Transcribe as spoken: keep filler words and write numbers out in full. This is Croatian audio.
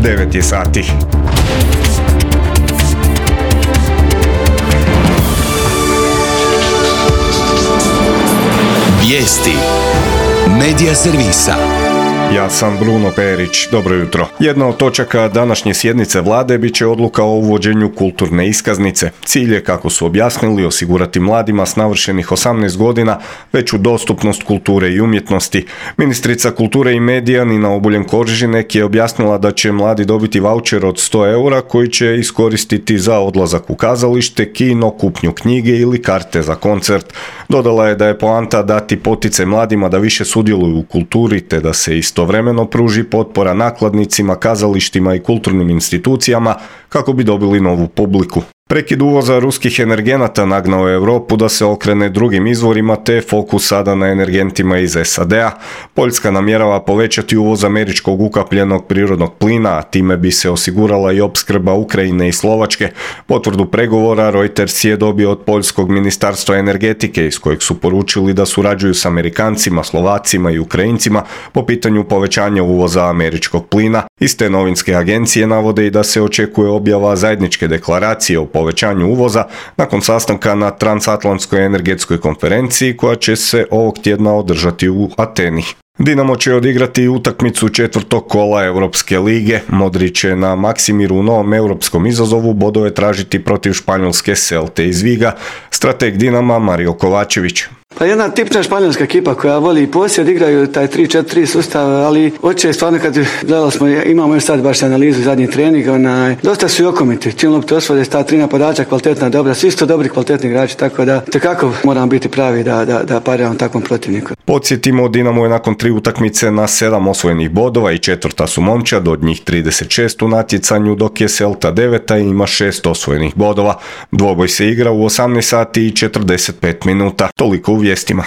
devet je sati. Vijesti Medija servisa. Ja sam Bruno Perić, dobro jutro. Jedna od točaka današnje sjednice vlade bit će odluka o uvođenju kulturne iskaznice. Cilj je, kako su objasnili, osigurati mladima s navršenih osamnaest godina veću dostupnost kulture i umjetnosti. Ministrica kulture i medija Nina Obuljen Koržinek je objasnila da će mladi dobiti vaučer od sto eura koji će iskoristiti za odlazak u kazalište, kino, kupnju knjige ili karte za koncert. Dodala je da je poanta dati poticaj mladima da više sudjeluju u kulturi te da se istovremeno pruži potpora nakladnicima, kazalištima i kulturnim institucijama kako bi dobili novu publiku. Prekid uvoza ruskih energenata nagnao je Europu da se okrene drugim izvorima te fokus sada na energentima iz S A D-a. Poljska namjerava povećati uvoz američkog ukapljenog prirodnog plina, a time bi se osigurala i opskrba Ukrajine i Slovačke. Potvrdu pregovora Reuters je dobio od Poljskog ministarstva energetike iz kojeg su poručili da surađuju s Amerikancima, Slovacima i Ukrajincima po pitanju povećanja uvoza američkog plina. Iste novinske agencije navode i da se očekuje objava zajedničke deklaracije o povećanju uvoza nakon sastanka na transatlantskoj energetskoj konferenciji koja će se ovog tjedna održati u Ateni. Dinamo će odigrati utakmicu četvrtog kola Europske lige. Modri će na Maksimiru u novom europskom izazovu bodove tražiti protiv španjolske Celte iz Viga. Strateg Dinama Mario Kovačević. Pa jedna tipna španjolska ekipa koja voli posjed, igraju taj tri četiri tri sustav, ali hoće stvarno kad gledali smo, imamo još sad baš analizu zadnjih treninga, onaj, dosta su i okomiti. Čim lopte osvode, sta tri napadača, kvalitetna, dobra, svi su dobri kvalitetni igrači, tako da tekako moramo biti pravi da, da, da pariramo takvom protivniku. Podsjetimo, Dinamo je nakon tri utakmice na sedam osvojenih bodova i četvrta su momčad, od njih trideset šest u natjecanju, dok je Celta deveta i ima šest osvojenih bodova. Dvoboj se igra u osamnaest sati i četrdeset pet minuta. Toliko u vijestima.